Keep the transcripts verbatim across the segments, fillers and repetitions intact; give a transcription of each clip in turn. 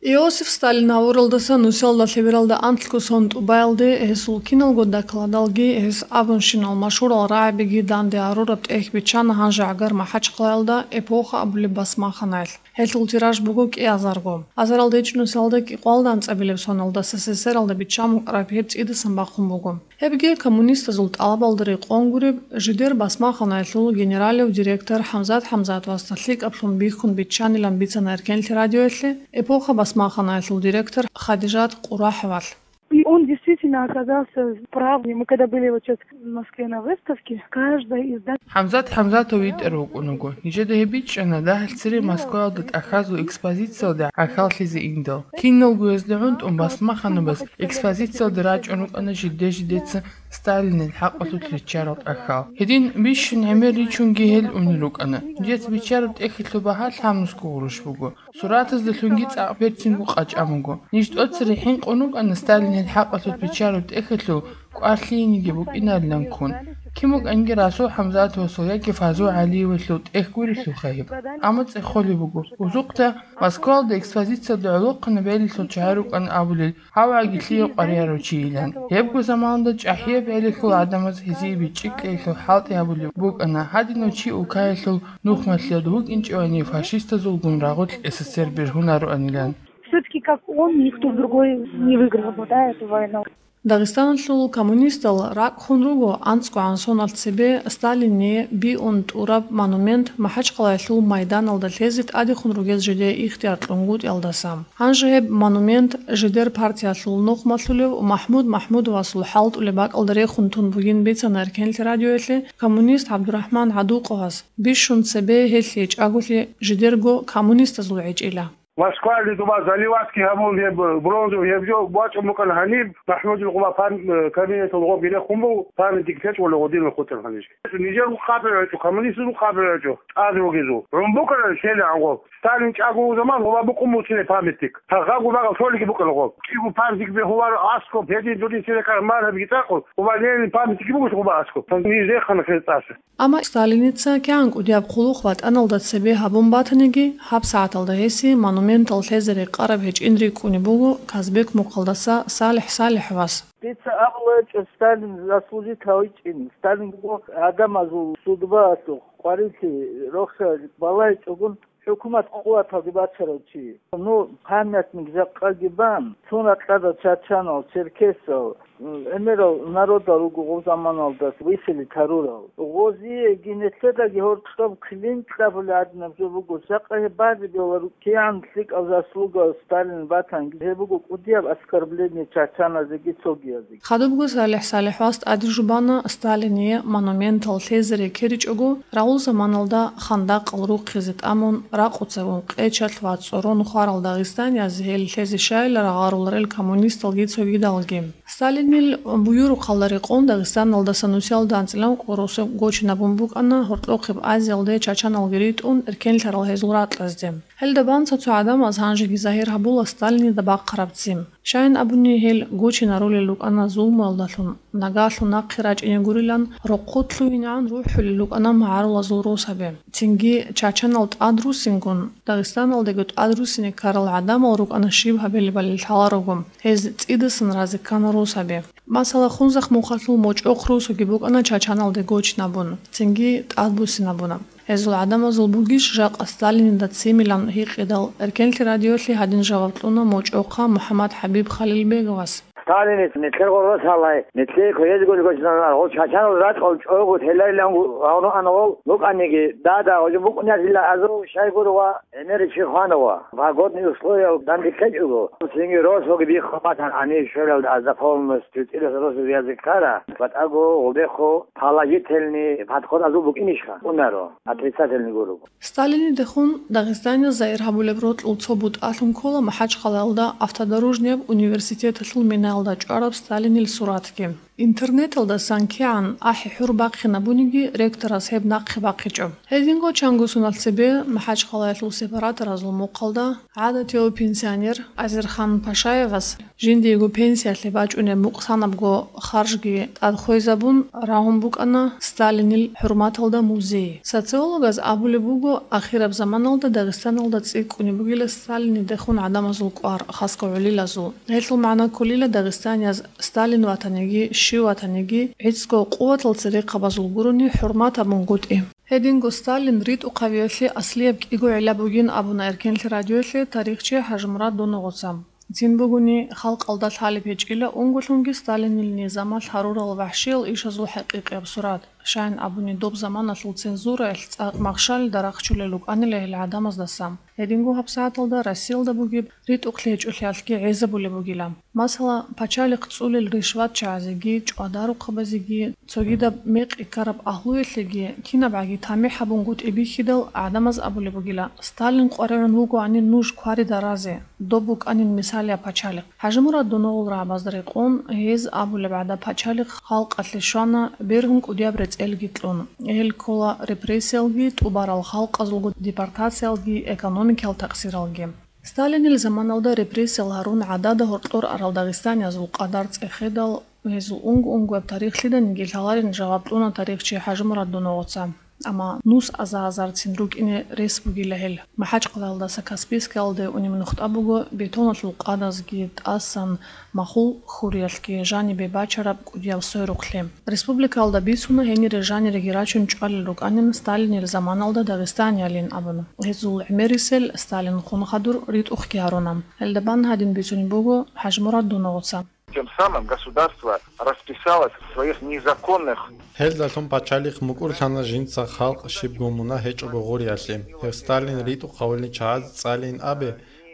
Иосиф Сталин гьавуралдаса нусиялда лъебералда анлъго сон тӀубаялде гьесул киналго докладалги, гьес абунщинал машгьурал рагӀабиги данде гьарураб тӀехь биччана гьанже гӀагар МахӀачхъалаялда «Эпоха» абулеб басмаханаялъ. Гьелъул тираж буго кӀиазарго. Азаралда ичӀнусиялда кӀикъоялда анцӀабилеб соналда СССР-алда биччан букӀараб гьеб цӀидасан бахъун буго. Гьебги коммунистазул тӀалабалда рекъон гуреб, жидер басмаханаялъул генералив директор ХӀамзат ХӀамзатовасда лъикӀаблъун бихьун биччанилан бицана Эркенлъи радиоялъе «Эпоха» басмаханаялъул директор Хадижат Къураховалъ. И он действительно оказался прав. Мы когда были вот сейчас в Москве на выставке, каждая из дат- ХӀамзат ХӀамзатов витӀар вукӀун вуго. Нижеда гьеб бичӀчӀана дагьал цере Москваялда тӀахьазул экспозициялда гӀахьаллъизе индал. Киналго гьезда гӀунтӀун басмаханабаз экспозициялда рачӀун рукӀана жидде-жидеца Сталинил хӀакъалъулъ риччарал тӀахьал. Гьедин бищун гӀемер ричунги гьел унел рукӀана. Нижеца биччараб тӀехьалъул багьа лъабнусго гъурущ буго. Суратаздалъунги цӀакъ берцинго къачӀан буго. Ниж тӀоцере хӀинкъун рукӀана Сталинил хӀакъалъулъ биччараб тӀехьалъул кӀвар лъиениги букӀинарилан ккун. Кин букӀанги Расул ХӀамзатовасул яги Фазул ГӀалиевалъул тӀехь гурелъулха гьеб. Амма цӀехолеб буго, узухъда Москваялда экспозициялда гӀолохъанаб гӀелалъул чагӀи рукӀана абулел, гьаваги лъие къваригӀарав чийилан. Гьебго заманалда чӀахӀияб гӀелалъул гӀадамаз гьезие бичӀчӀи кьеялъул хӀалтӀи гьабулеб букӀана, гьадинав чи улкаялъул нухмалъиялда вукӀинчӀевани фашистазулгун рагъулъ СССР бергьунароанилан. Все-таки как он, никто другой не выиграл бы, да, эту войну. Дагъистаналъул коммунистал ракӀ хун руго анцӀгогӀан соналъ цебе Сталиние биун тӀураб монумент МахӀачхъалаялъул майданалда лъезе тӀадехун ругез жидее ихтияр кьунгутӀиялдаса. Гьанже гьеб монумент жидер партиялъул нухмалъулев МахӀмуд МахӀмудовасул хӀалтӀулеб бакӀалда рехун тун бугин бицана Эркенлъи радиоялъе коммунист ГӀабдурахӀман ГӀадукъовас, бищун цебе гьелъ гьечӀаголъи жидерго коммунистазул гӀечӀила. Москваялде дуба Заливатский гьабун гьеб бронзовый гьеб жо бачӀун букӀана гьаниб, МахӀмудил къуба пам-, э, кабинеталда гъобги рехун буго, памятник лъечӀого гъодинал хутӀарал гьаниб. Нижер хъабар гьечӀо, коммунистазул хъабар гьечӀо, тӀад ругезул. ГӀун букӀана лъелегӀан гъоб. Сталин чӀаго заман гъоба букӀун буциле памятник. Гьагъабго багъал лъолиги букӀана гъоб. КӀиго памятник бегьуларо аскоб, гьедин дудин церекар маргьабги цӀакъу, гъоба Ленин памятник буго гъоба аскоб. Ниж рехана хез тӀаса. Амма Сталиница кигӀан кӀудияб хъулухъ ватӀаналда цебе гьабун батаниги, гьабсагӀаталда гьесие монументал лъезе рекъараб гьечӀин рикӀкӀунеб буго Казбек мухъалдаса СалихӀ СалихӀовас. Дица абулеб гьечӀо Сталин заслужить гьавичӀин. Сталин буго гӀадамазул судьбаялъухъ къварилъи рохьа балагьичӀогун ХӀукумат къуваталде бачарав чи. Ну, памятник жакъаги бан, цун ракьада чачанал, черкесал, м, гӀемерал народал руго гъоб заманалдас виселет гьарурал. Гъозие гьениб лъедаги гьоркьоб килин кьабулеб гӀадинаб жо буго, жакъа гьеб базе бегьуларо, кигӀан лъикӀал заслуга Сталин батанги, гьеб буго кӀудияб оскорбление чачаназеги цогиязеги. Хадубго СалихӀ СалихӀовас тӀаде жубана Сталине монументал лъезе рекеричӀого, рагъул заманалда хандакъал рухъизе тӀамун, ракъуцагун къечалъ ва цӀорон хварал дагъистанияз гьел лъезе щайилан рагъаруларел коммунисталги цогидалги. Сталинил буюрухъалда рекъон Дагъистаналдаса нусиялда анцӀила ункъо росу гочинабун букӀана, гьоркьохъеб Азиялде чачаналги ритӀун, эркенлъарал гьезул ракьазде. Гьелда бан цо-цо гӀадамаз гьанжеги загьир гьабула Сталинида бахъараб ццин. Щайин абуни, гьел гочинарулел рукӀана зулмуялдалъун, нагалъун нахъе рачӀине гурилан, рокъо лъугьинегӀан рухӀулел рукӀана магӀарулазул росаби. Цинги чачанал тӀадруссингун, Дагъистаналдаго тӀадруссине ккарал гӀадамал рукӀана щиб гьабилебали лъаларого, гьез цӀидасан разе ккана росаби. Масала, Хунзахъ мухъалъул МочӀохъ росуги букӀана чачаналде гочнабун, цинги тӀадбуссинабуна. Гьезул гӀадамазул бугищ жакъа Сталинида ццимилан гьикъидал, Эркенлъи радиолъе гьадин жаваб кьуна МочӀохъа МухӀаммад ХӀабиб Халилбеговас. Сталиница нилъер гъоркьосалай, нилъее кверезго гочнана, гъол чачанал ракьал чӀого теларилан гьавну ана гъол букӀаниги, дада, гъожо букӀунарила азу щайгуро ва гӀемер чи хвана ва погодный условиял данде ккечӀого, цинги росуги бихъа батан гьанив щвелалда азда полностью цӀидаса росу вязе ккара, батӀаго гъубехъо положительный подход азул букӀинищха? Унаро, отрицательный гуро. Сталинидехун Дагъистаниялда загьир гьабулеб рокьул цо бутӀалъун ккола МахӀачхъалаялда автодорожнияб университеталъул минаялда чӀвараб Сталинил суратги. Интернеталдасан кигӀан ахӀи-хӀур бахъинабуниги, ректорас гьеб нахъе бахъичӀо. Гьединго чанго соналъ цебе МахӀачхъалаялъул сепараторазул мухъалда гӀадатияв пенсионер Азерхан Пашаевас жиндиего пенсиялъе бачӀунеб мукъсанабго харжги тӀад хвезабун рагьун букӀана Сталинил хӀурматалда музей. Социологаз абулеб буго, ахираб заманалда Дагъистаналда цӀикӀкӀунеб бугила Сталинидехун гӀадамазул кӀвар, хасго гӀолилазул. Гьелъул магӀна кколила дагъистанияз Сталин ватаниги, щив ватаниги, гӀицӀго къуватал церехъабазул гурони хӀурмат гьабунгутӀи. Гьединго Сталин ритӀухъавиялъе аслияб кӀиго гӀилла бугин абуна Эркенлъи радиоялъе тарихчи ХӀажимурад Доногъоца. Цин бугони, халкъалда лъалеб гьечӀила унголъунги Сталинил низамалъ гьарурал вахӀшиял ишазул хӀакъикъияб сурат, щайин абуни доб заманалъул цензураялъ цӀакъ махщалида рахчулел рукӀанила гьел гӀадамаздаса. Гьединго гьабсагӀаталда Россиялда бугеб ритӀухълъи гьечӀолъиялъги гӀезабулеб бугила. Масала, пачалихъ цӀулел ришватчагӀазеги, чӀвадарухъабазеги, цогидаб мекъи ккараб агьлуялъеги кинабгӀаги тамихӀ гьабунгутӀи бихьидал, гӀадамаз абулеб бугила: «Сталин къваригӀун вугоани нуж кварида разе, доб букӀанин мисалияб пачалихъ». ХӀажимурад Доногъул рагӀабазда рекъон, гьез абулеб гӀадаб пачалихъ халкъалъе щвана бергьун кӀудияб рецӀелги кьун. Гьел ккола репрессиялги, тӀубарал халкъазулго депортациялги, экономикиял такъсиралги. Сталинил заманалда репрессиял гьарун гӀадада гьоркьор арал дагъистаниязул къадар цӀехедал, гьезул унго-унгояб тарихлъиданиги лъаларин жаваб кьуна тарихчи ХӀажимурад Доногъоца. Амма нус аза-азарцин рукӀине рес бугила гьел. МахӀачхъалаялдаса Каспийскиялде унеб нухда буго бетоналъул къадазги тӀасан махул хуриялъги жанибе бачараб кӀудияб сойрухълъи. Республикаялда бицуна гьенире жаниреги рачун чӀвалел рукӀанин Сталинил заманалда дагъистаниялин абун. Гьезул гӀемерисел Сталин хун хадур ритӀухъги гьаруна. Гьелда бан гьадин бицунеб буго ХӀажимурад Доногъоца. Тем самым государство расписалось в своих незаконных. Гьелдалъун пачалихъ мукӀурлъана жинца халкъ щибго мунагь гьечӀого гъуриялъе. Гьев Сталин ритӀухъавулел чагӀаз цӀалейин абе,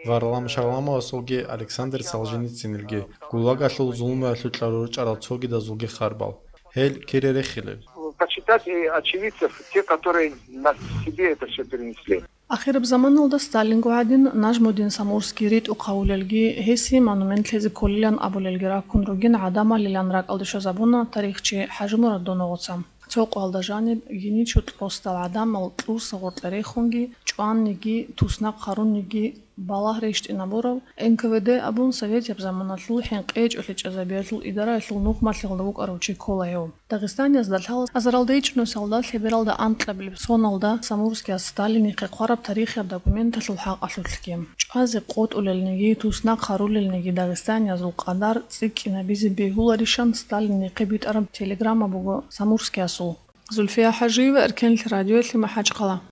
Варлам Шаламовасулги Александр Солженицынилги, ГУЛАГалъул зулмуялъул кьарурчӀарал цогидазулги харбал. Гьел кире рехилел. Почитать и очевидцев, те, которые на себе это всё перенесли. Ахираб заманалда Сталинго гӀадин Нажмудин Самурский ритӀухъавулелги, гьесие монумент лъезе кколилан абулелги раккун ругин гӀадамалилан ракӀалде щвезабуна тарихчи ХӀажимурад Доногъоца. Цо къоялда жаниб гьенив чурт росдал гӀадамал кьурса гъоркье рехунги, чӀванниги, туснахъ гьарунниги, балагь рещтӀинабурав, Н К В Д абун советияб заманалъул хӀинкъи гьечӀолъи чӀезабиялъул идараялъул нухмалъиялда вукӀарав чи ккола гьев. Дагъистаниязда лъала азаралда ичӀнусиялда лъебералда анкьабилеб соналда Самурскияс Сталинихъе хъвараб тарихияб документалъул хӀакъалъулъги. ЧӀвазе къотӀулелниги, туснахъ гьарулелниги дагъистаниязул къадар цӀикӀкӀинабизе бегьуларищан Сталинихъе битӀараб телеграмма буго Самурскиясул. Зульфия ХӀажиева, Эркенлъи радиоялъе, МахӀачхъала.